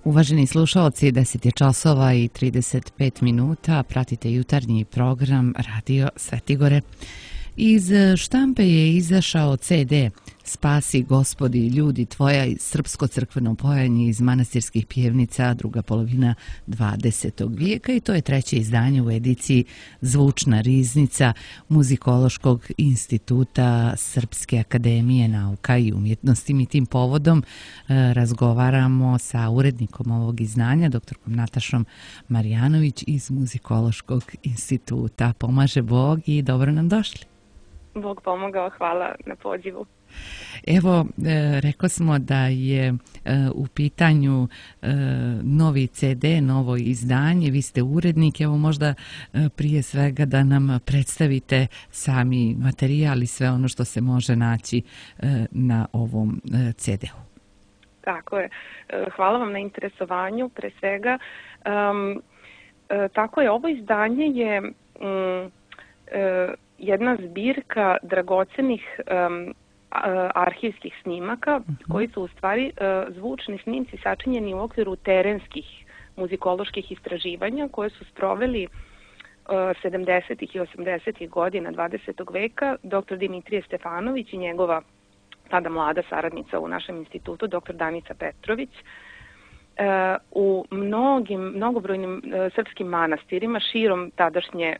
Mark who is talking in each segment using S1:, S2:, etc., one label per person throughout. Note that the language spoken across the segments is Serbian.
S1: Uvaženi slušaoci, 10 je časova i 35 minuta, pratite jutarnji program Radio Svetigore. Iz štampe je izašao CD Spasi Gospodi ljudi tvoja, srpsko crkveno pojanje iz manastirskih pjevnica, druga polovina 20. vijeka, i to je treće izdanje u ediciji Zvučna riznica Muzikološkog instituta Srpske akademije nauka i umjetnosti. Mi tim povodom razgovaramo sa urednikom ovog izdanja, doktorkom Natašom Marjanović iz Muzikološkog instituta. Pomaže Bog i dobro nam došli.
S2: Bog pomogao, hvala na pozivu.
S1: Evo, rekao smo da je u pitanju novi CD, novo izdanje, vi ste urednik, evo možda prije svega da nam predstavite sami materijal i sve ono što se može naći na ovom CD-u.
S2: Tako je, hvala vam na interesovanju, pre svega. Tako je, ovo izdanje je jedna zbirka dragocenih arhivskih snimaka koji su u stvari zvučni snimci sačinjeni u okviru terenskih muzikoloških istraživanja koje su sproveli 70. i 80. godina 20. veka dr. Dimitrije Stefanović i njegova tada mlada saradnica u našem institutu, dr. Danica Petrović, u mnogobrojnim srpskim manastirima širom tadašnje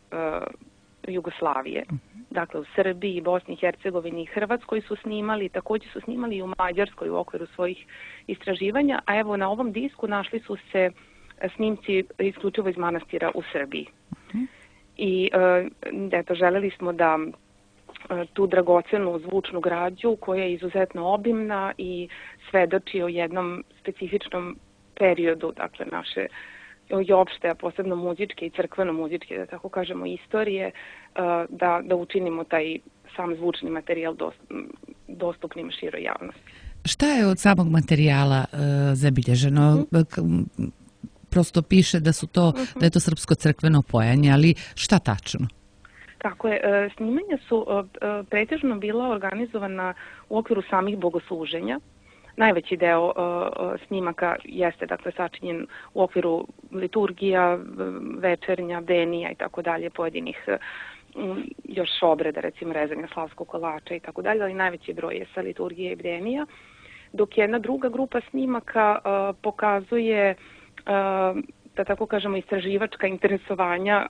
S2: Jugoslavije. Dakle, u Srbiji, Bosni i Hercegovini i Hrvatskoj su snimali, također su snimali i u Mađarskoj u okviru svojih istraživanja, a evo na ovom disku našli su se snimci isključivo iz manastira u Srbiji. I eto, želeli smo da tu dragocenu zvučnu građu koja je izuzetno obimna i svedoči o jednom specifičnom periodu, dakle, naše i opšte, a posebno muzičke i crkveno-muzičke, da tako kažemo, istorije, da učinimo taj sam zvučni materijal dostupnim široj javnosti.
S1: Šta je od samog materijala zabilježeno? Prosto piše da je to srpsko crkveno pojanje, ali šta tačno?
S2: Tako je, snimanja su pretežno bila organizovana u okviru samih bogosluženja. Najveći deo snimaka jeste, dakle, sačinjen u okviru liturgija, večernja, bdenija i tako dalje, pojedinih još obreda, recimo rezanja slavskog kolača i tako dalje, ali najveći broj je sa liturgije i bdenija, dok jedna druga grupa snimaka pokazuje, da tako kažemo, istraživačka interesovanja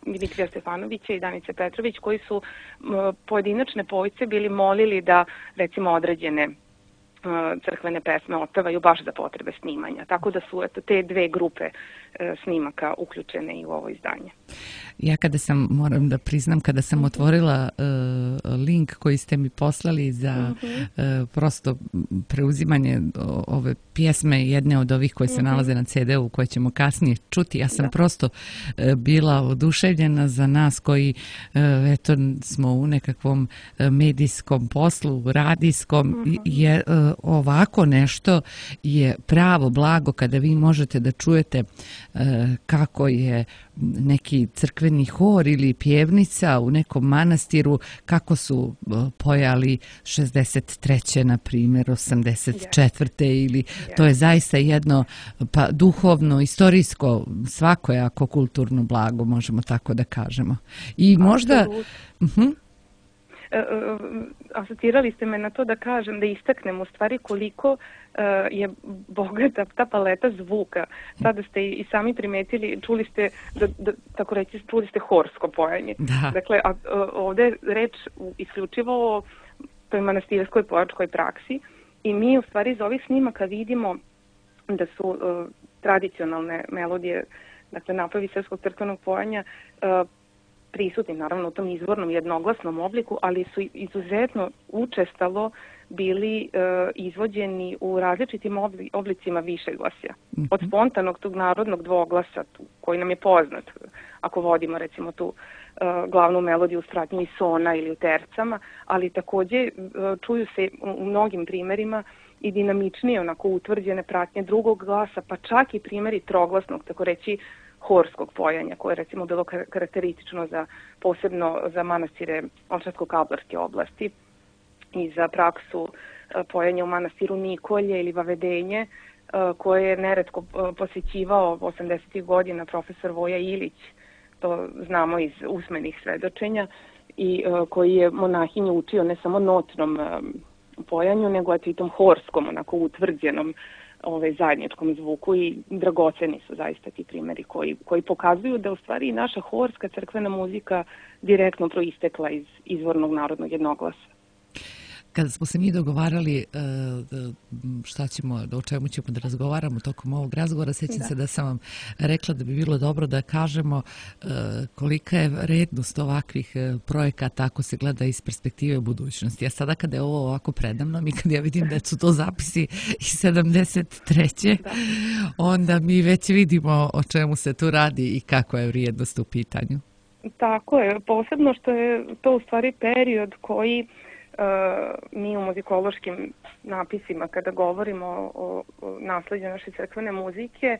S2: Dimitrija Stefanovića i Danice Petrović, koji su pojedinačne povijce bili molili da, recimo, određene crkvene pesme otpevaju baš za potrebe snimanja. Tako da su te dve grupe snimaka uključene i u ovo izdanje.
S1: Ja moram da priznam, kada sam otvorila link koji ste mi poslali za prosto preuzimanje ove pjesme, jedne od ovih koje se nalaze na CD-u, koje ćemo kasnije čuti, ja sam prosto bila oduševljena za nas koji eto smo u nekakvom medijskom poslu, radijskom, je ovako nešto je pravo blago kada vi možete da čujete kako je neki crkveni hor ili pjevnica u nekom manastiru, kako su pojali 63. na primjer, 84. ili to je zaista jedno duhovno, istorijsko, svakojako kulturno blago, možemo tako da kažemo. I možda...
S2: Asocirali ste me na to da kažem, da istaknem u stvari koliko je bogata ta paleta zvuka. Sada ste i sami primetili, čuli ste, tako reći, čuli ste horsko pojanje.
S1: Da.
S2: Dakle, ovdje je reč isključivo o toj manastirskoj pojačkoj praksi i mi u stvari iz ovih snimaka vidimo da su tradicionalne melodije, dakle napravi srpskog crkvenog pojanja, prisutni naravno u tom izvornom jednoglasnom obliku, ali su izuzetno učestalo bili izvođeni u različitim oblicima višeglasja. Od spontanog tog narodnog dvoglasa koji nam je poznat, ako vodimo recimo tu glavnu melodiju u stratnju i sona ili u tercama, ali također čuju se u mnogim primjerima i dinamičnije, onako utvrđene pratnje drugog glasa, pa čak i primjeri troglasnog, tako reći, horskog pojanja, koje je recimo bilo karakteristično posebno za manastire Ovčarsko-Kablarske oblasti i za praksu pojanja u manastiru Nikolje ili Vavedenje, koje je neretko posjećivao 80. godina profesor Voja Ilić, to znamo iz usmenih svedočenja, i koji je monahinju učio ne samo notnom pojanju, nego i tom horskom, onako utvrđenom zajedničkom zvuku, i dragoceni su zaista ti primjeri koji pokazuju da u stvari naša horska crkvena muzika direktno proistekla iz izvornog narodnog jednoglasa.
S1: Kada smo se mi dogovarali o čemu ćemo da razgovaramo tokom ovog razgovora, sjećam se da sam vam rekla da bi bilo dobro da kažemo kolika je vrednost ovakvih projekata ako se gleda iz perspektive budućnosti. A sada kada je ovo ovako predamnom i kada ja vidim da su to zapisi iz 73. onda mi već vidimo o čemu se tu radi i kako je vrijednost u pitanju.
S2: Tako je, posebno što je to u stvari period koji mi u muzikološkim napisima, kada govorimo o nasleđu naše crkvene muzike,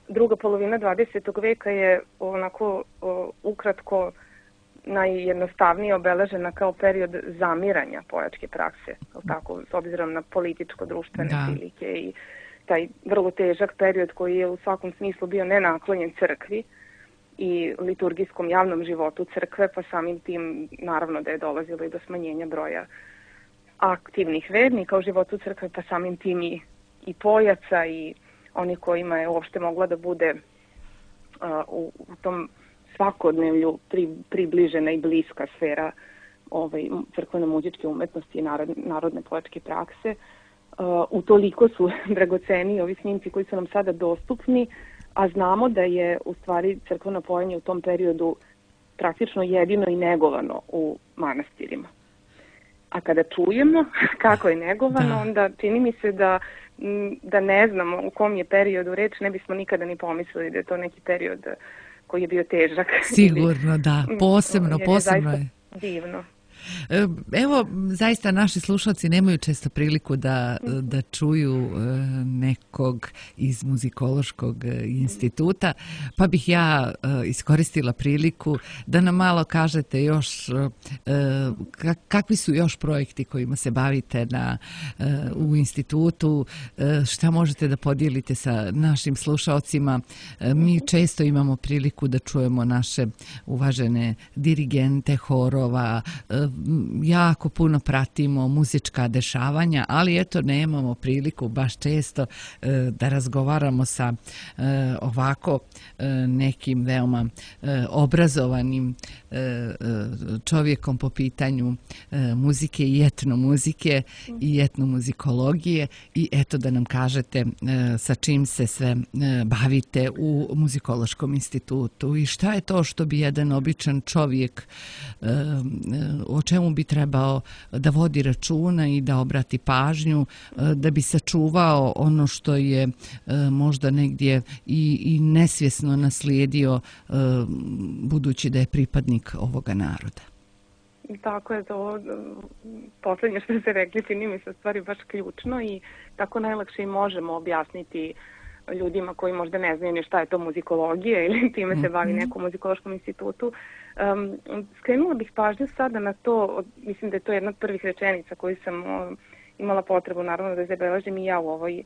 S2: druga polovina 20. veka je onako ukratko najjednostavnije obeležena kao period zamiranja pojačke prakse, tako, s obzirom na političko-društvene prilike i taj vrlo težak period koji je u svakom smislu bio nenaklonjen crkvi i liturgijskom javnom životu crkve, pa samim tim naravno da je dolazilo i do smanjenja broja aktivnih vernika u životu crkve, pa samim tim i pojaca i oni kojima je uopšte mogla da bude u tom svakodnevlju približena i bliska sfera crkveno-muzičke umetnosti i narodne pojačke prakse. Utoliko su dragoceni ovi snimci koji su nam sada dostupni, a znamo da je u stvari crkveno pojanje u tom periodu praktično jedino i negovano u manastirima. A kada čujemo kako je negovano, onda čini mi se da ne znamo u kom je periodu reč, ne bismo nikada ni pomislili da je to neki period koji je bio težak.
S1: Sigurno, da. Posebno je.
S2: Divno.
S1: Evo, zaista naši slušalci nemaju često priliku da čuju nekog iz muzikološkog instituta, pa bih ja iskoristila priliku da nam malo kažete još kakvi su još projekti kojima se bavite u institutu, šta možete da podijelite sa našim slušalcima. Mi često imamo priliku da čujemo naše uvažene dirigente horova, jako puno pratimo muzička dešavanja, ali eto nemamo priliku baš često da razgovaramo sa ovako nekim veoma obrazovanim čovjekom po pitanju muzike i etnomuzike i etnomuzikologije, i eto da nam kažete sa čim se sve bavite u muzikološkom institutu i šta je to što bi jedan običan čovjek, o čemu bi trebao da vodi računa i da obrati pažnju da bi sačuvao ono što je možda negdje i nesvjesno naslijedio, budući da je pripadnik ovoga naroda.
S2: Tako je, to posljednje što ste rekli čini mi se stvari baš ključno i tako najlakše i možemo objasniti ljudima koji možda ne znaju ni šta je to muzikologija ili time se bavi nekom muzikološkom institutu. Skrenula bih pažnju sada na to, mislim da je to jedna od prvih rečenica koju sam imala potrebu naravno da zabeležim i ja u ovoj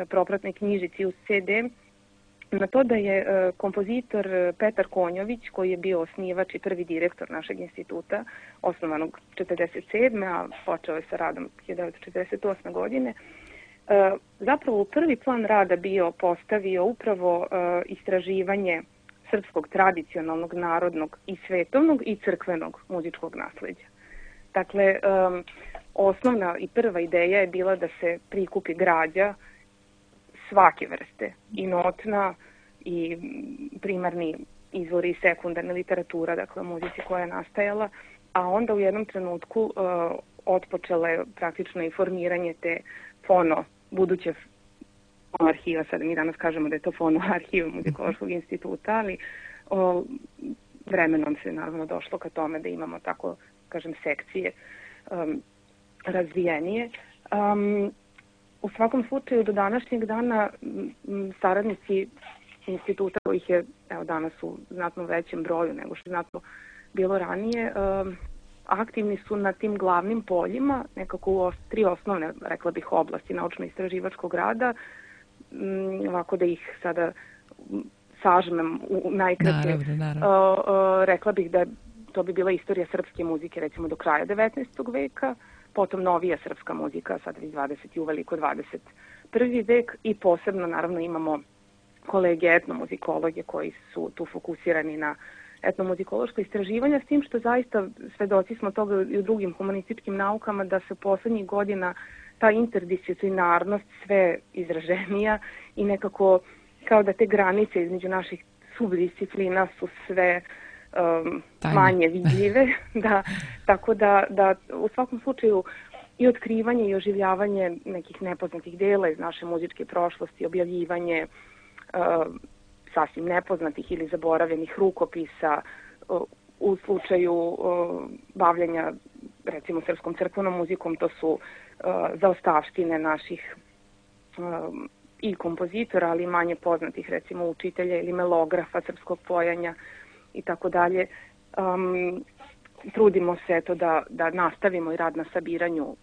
S2: propratnoj knjižici uz CD, na to da je kompozitor Petar Konjović, koji je bio osnivač i prvi direktor našeg instituta, osnovanog 1947. a počeo je sa radom 1948. godine, zapravo u prvi plan rada bio postavio upravo istraživanje srpskog tradicionalnog, narodnog i svetovnog i crkvenog muzičkog nasleđa. Dakle, osnovna i prva ideja je bila da se prikupi građa svake vrste, i notna, i primarni izvori i sekundarna literatura, dakle muzici koja je nastajala, a onda u jednom trenutku otpočelo je praktično i formiranje te buduće arhiva, sada mi danas kažemo da je to arhiv muzikološkog instituta, ali vremenom se naravno došlo ka tome da imamo tako, kažem, sekcije razvijenije. U svakom slučaju do današnjeg dana saradnici instituta, kojih je danas u znatno većem broju nego što je znatno bilo ranije, aktivni su na tim glavnim poljima, nekako u 3 osnovne, rekla bih, oblasti naučno-istraživačkog rada, ovako da ih sada sažmem u najkraće. Rekla bih da to bi bila istorija srpske muzike, recimo do kraja 19. veka, potom novija srpska muzika, sad iz 20. i uveliko 21. vek i posebno naravno imamo kolege etnomuzikologe koji su tu fokusirani na etnomuzikološko istraživanje, s tim što zaista svedoci smo toga i u drugim humanističkim naukama da se poslednjih godina ta interdisciplinarnost sve izraženija i nekako kao da te granice između naših subdisciplina su sve manje vidljive. Da, tako da u svakom slučaju i otkrivanje i oživljavanje nekih nepoznatih dela iz naše muzičke prošlosti, objavljivanje sasvim nepoznatih ili zaboravljenih rukopisa u slučaju bavljenja recimo srpskom crkvenom muzikom, to su zaostavštine naših i kompozitora, ali i manje poznatih recimo učitelja ili melografa srpskog pojanja i tako dalje. Trudimo se eto da nastavimo i rad na sabiranju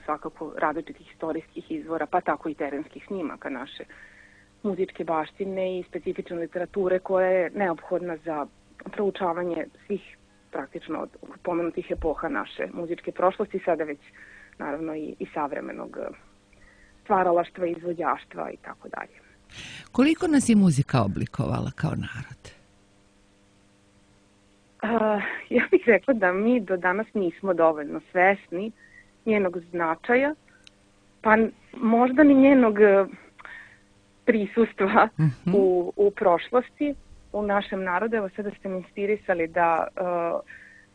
S2: svakako različitih istorijskih izvora, pa tako i terenskih snimaka naše muzičke baštine i specifične literature koja je neophodna za proučavanje svih praktično od pomenutih epoha naše muzičke prošlosti, sada već naravno i savremenog stvaralaštva, izvođaštva i tako dalje.
S1: Koliko nas je muzika oblikovala kao narod?
S2: Ja bih rekla da mi do danas nismo dovoljno svesni njenog značaja, pa možda ni njenog prisustva u prošlosti u našem narodu. Evo sada ste mi inspirisali da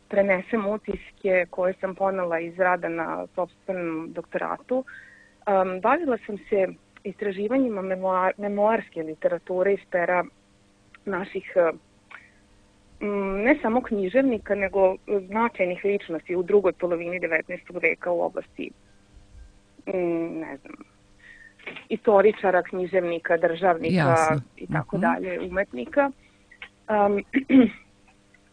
S2: prenesem utiske koje sam ponela iz rada na sopstvenom doktoratu. Bavila sam se istraživanjima memoarske literature iz pera naših ne samo književnika, nego značajnih ličnosti u drugoj polovini 19. veka u oblasti, ne znam, istoričara, književnika, državnika i tako dalje, umetnika.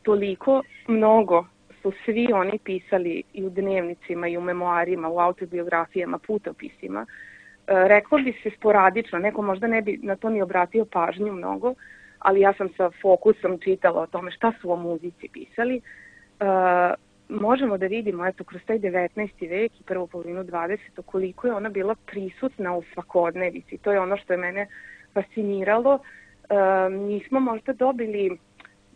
S2: Toliko mnogo su svi oni pisali i u dnevnicima i u memoarima, u autobiografijama, putopisima. Reklo bi se sporadično, neko možda ne bi na to ni obratio pažnju mnogo, ali ja sam sa fokusom čitala o tome šta su o muzici pisali. Možemo da vidimo, eto, kroz taj 19. vek i prvu polovinu 20. koliko je ona bila prisutna u svakodnevici. To je ono što je mene fasciniralo. Nismo možda dobili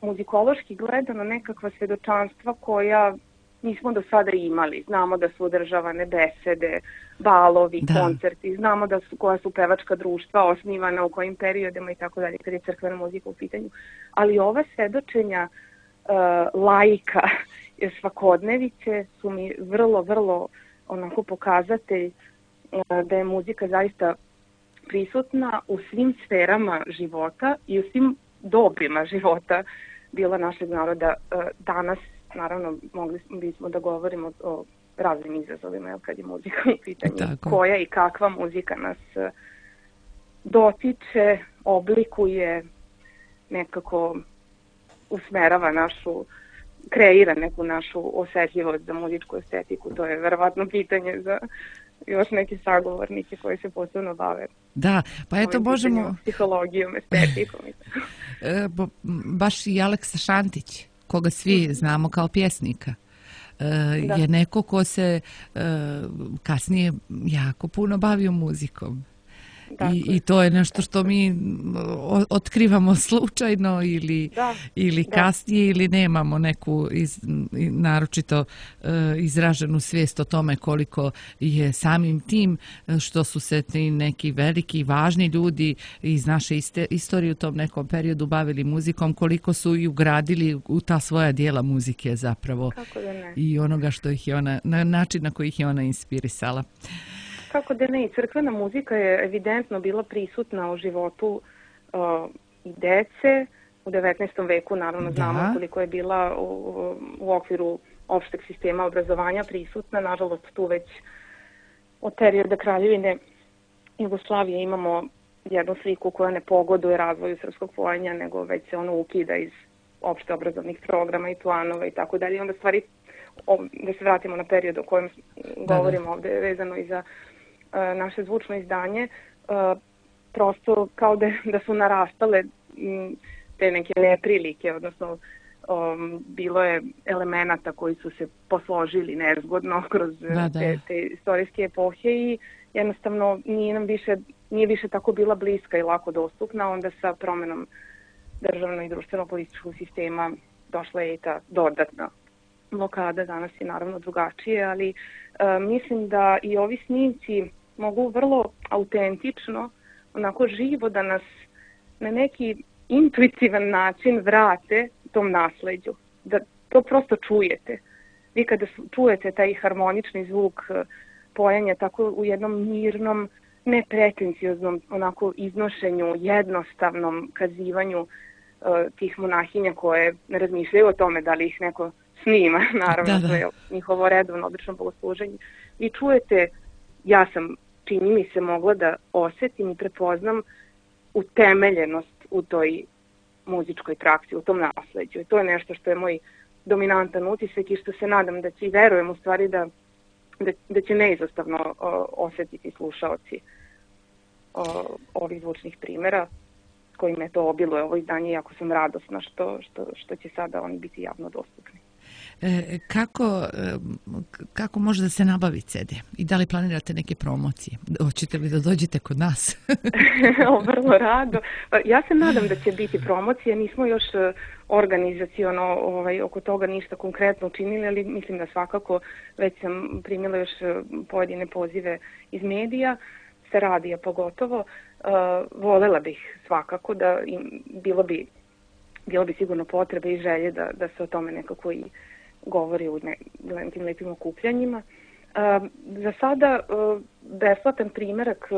S2: muzikološki gledano nekakva svedočanstva koja nismo do sada imali. Znamo da su održavane besede, balovi, koncerti, znamo koja su pevačka društva osnivana, u kojim periodima i tako dalje, kad je crkvena muzika u pitanju. Ali ova svedočenja laika svakodnevice su mi vrlo onako pokazatelj da je muzika zaista prisutna u svim sferama života i u svim dobima života bila našeg naroda. Danas, naravno, mogli bismo da govorimo o raznim izazovima kad je muzika u pitanju. Tako. Koja i kakva muzika nas dotiče, oblikuje, nekako usmerava kreira neku našu osetljivost za muzičku estetiku. To je verovatno pitanje za još neke sagovornike koji se posebno bave.
S1: Da, pa eto možemo...
S2: Psihologijom, estetikom.
S1: Baš i Aleksa Šantić, koga svi znamo kao pjesnika, je neko ko se kasnije jako puno bavio muzikom. I to je nešto što mi otkrivamo slučajno ili kasnije ili nemamo neku naročito izraženu svijest o tome koliko je samim tim što su se ti neki veliki i važni ljudi iz naše istorije u tom nekom periodu bavili muzikom, koliko su i ugradili u ta svoja dijela muzike zapravo i onoga što ih je ona, na način na koji ih je ona inspirisala.
S2: Kako da ne, i crkvena muzika je evidentno bila prisutna u životu i dece. U 19. veku naravno znamo koliko je bila u okviru opšteg sistema obrazovanja prisutna. Nažalost, tu već od perioda Kraljevine Jugoslavije imamo jednu sliku koja ne pogoduje razvoju srpskog pojanja, nego već se ono ukida iz opšte obrazovnih programa i planova i tako dalje. Onda stvari da se vratimo na period o kojem govorimo ovde vezano i za naše zvučno izdanje, prosto kao da su narastale te neke neprilike, odnosno bilo je elemenata koji su se posložili nezgodno kroz te istorijske epohe i jednostavno nije više tako bila bliska i lako dostupna. Onda sa promenom državnog i društveno-političkog sistema došla je i ta dodatna blokada. Danas je naravno drugačije, ali mislim da i ovi snimci mogu vrlo autentično, onako živo da nas na neki intuitivan način vrate tom nasleđu. Da to prosto čujete. Vi kada čujete taj harmonični zvuk pojanja tako u jednom mirnom, nepretencioznom onako iznošenju, jednostavnom kazivanju tih monahinja koje ne razmišljaju o tome da li ih neko snima, naravno, to je njihovo redovno, obično bogosluženje. Vi čujete, ja sam, čini mi se, mogla da osetim i prepoznam utemeljenost u toj muzičkoj praksi, u tom nasleđu. I to je nešto što je moj dominantan utisak i što se nadam da će i verujem u stvari da će neizostavno osetiti slušaoci ovih zvučnih primjera kojima je to obiluje ovo izdanje, jako sam radosna što će sada oni biti javno dostupni.
S1: Kako može da se nabavi CD? I da li planirate neke promocije? Hoćete li da dođete kod nas?
S2: Vrlo rado. Ja se nadam da će biti promocije. Nismo još organizaciono oko toga ništa konkretno učinili, ali mislim da svakako već sam primila još pojedine pozive iz medija, sa radija pogotovo. Volela bih svakako da bilo bi sigurno potrebe i želje da se o tome nekako i govori u tim lepim okupljanjima. Za sada besplatan primjerak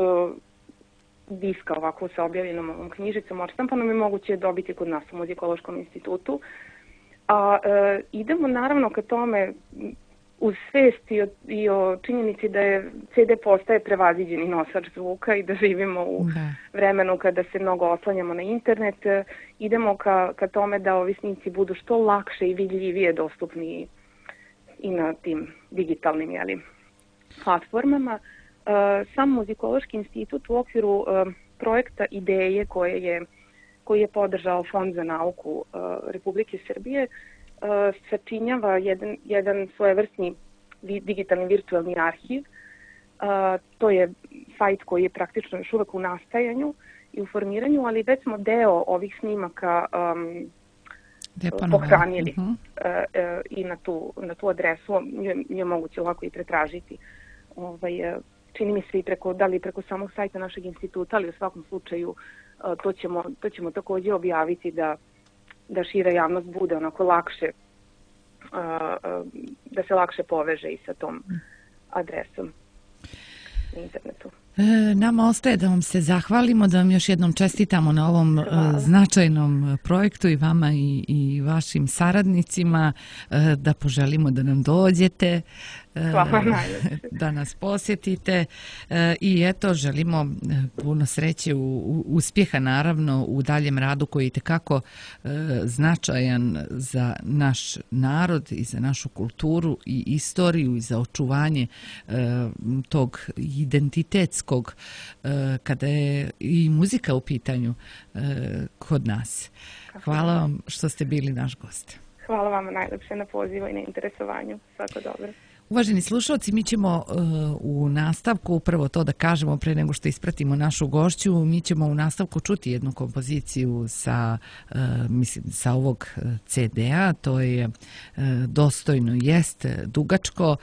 S2: diska ovako sa objavljenom ovom knjižicom odštampanom je moguće dobiti kod nas u Muzikološkom institutu. A idemo naravno ka tome uz svest i o činjenici da je CD postaje prevaziđeni nosač zvuka i da živimo u vremenu kada se mnogo oslanjamo na internet, idemo ka tome da ovi snimci budu što lakše i vidljivije dostupni i na tim digitalnim platformama. Sam Muzikološki institut u okviru projekta Ideje koji je podržao Fond za nauku Republike Srbije sačinjava jedan svojevrsni digitalni virtualni arhiv. To je sajt koji je praktično još uvek u nastajanju i u formiranju, ali već smo deo ovih snimaka pohranili i na tu adresu je moguće lako i pretražiti. Čini mi se i preko samog sajta našeg instituta, ali u svakom slučaju to ćemo također objaviti da šira javnost bude onako lakše, da se lakše poveže i sa tom adresom na internetu.
S1: Nama ostaje da vam se zahvalimo, da vam još jednom čestitamo na ovom značajnom projektu i vama i vašim saradnicima, da poželimo da nam dođete, da nas posjetite i eto, želimo puno sreće, uspjeha naravno u daljem radu koji je itekako značajan za naš narod i za našu kulturu i istoriju i za očuvanje tog identitetskog kada je i muzika u pitanju kod nas. Hvala vam što ste bili naš gost.
S2: Hvala vam najlepše na pozivu i na interesovanju. Svako dobro.
S1: Uvaženi slušalci, mi ćemo u nastavku, upravo to da kažemo pre nego što ispratimo našu gošću, mi ćemo u nastavku čuti jednu kompoziciju sa ovog CD-a, to je Dostojno jest, dugačko,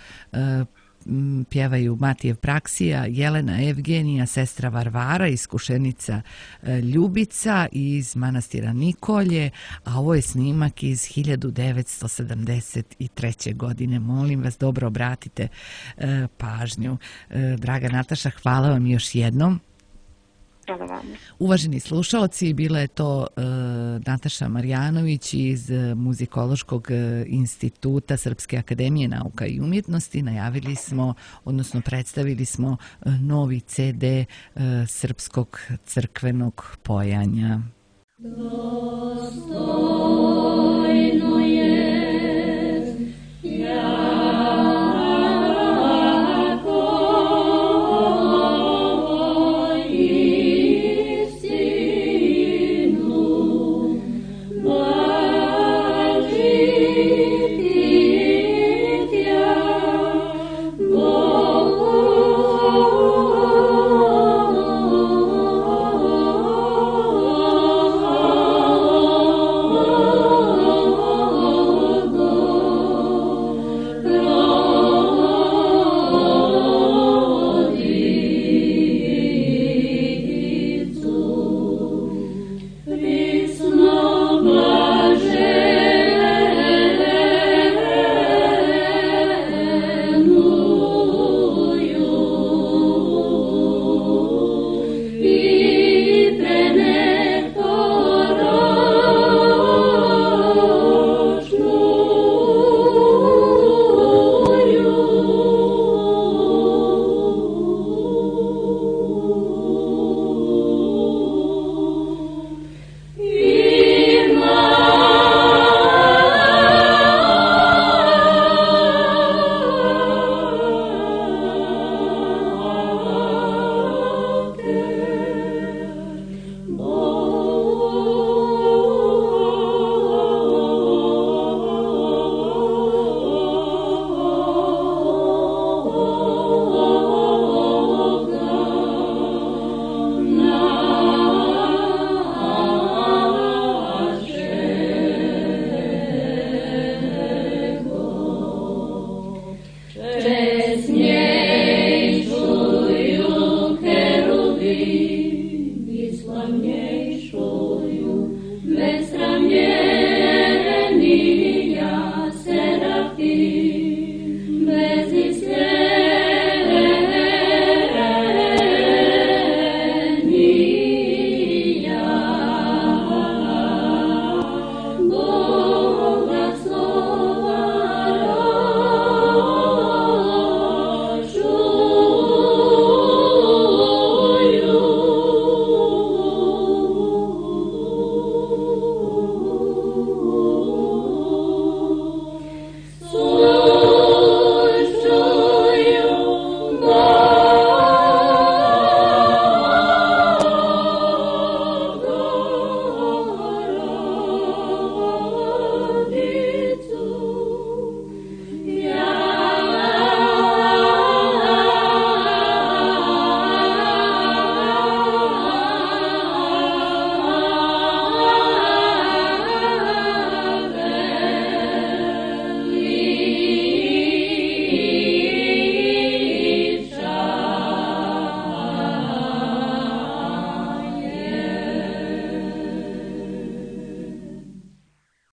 S1: pjevaju Matijev Praksija, Jelena Evgenija, sestra Varvara, iskušenica Ljubica iz manastira Nikolje, a ovo je snimak iz 1973. godine. Molim vas, dobro obratite pažnju. Draga Nataša, hvala vam još jednom.
S2: Hvala vam.
S1: Uvaženi slušalci, bila je to Nataša Marjanović iz Muzikološkog instituta Srpske akademije nauka i umjetnosti. Najavili smo, odnosno predstavili smo novi CD srpskog crkvenog pojanja. Dostojno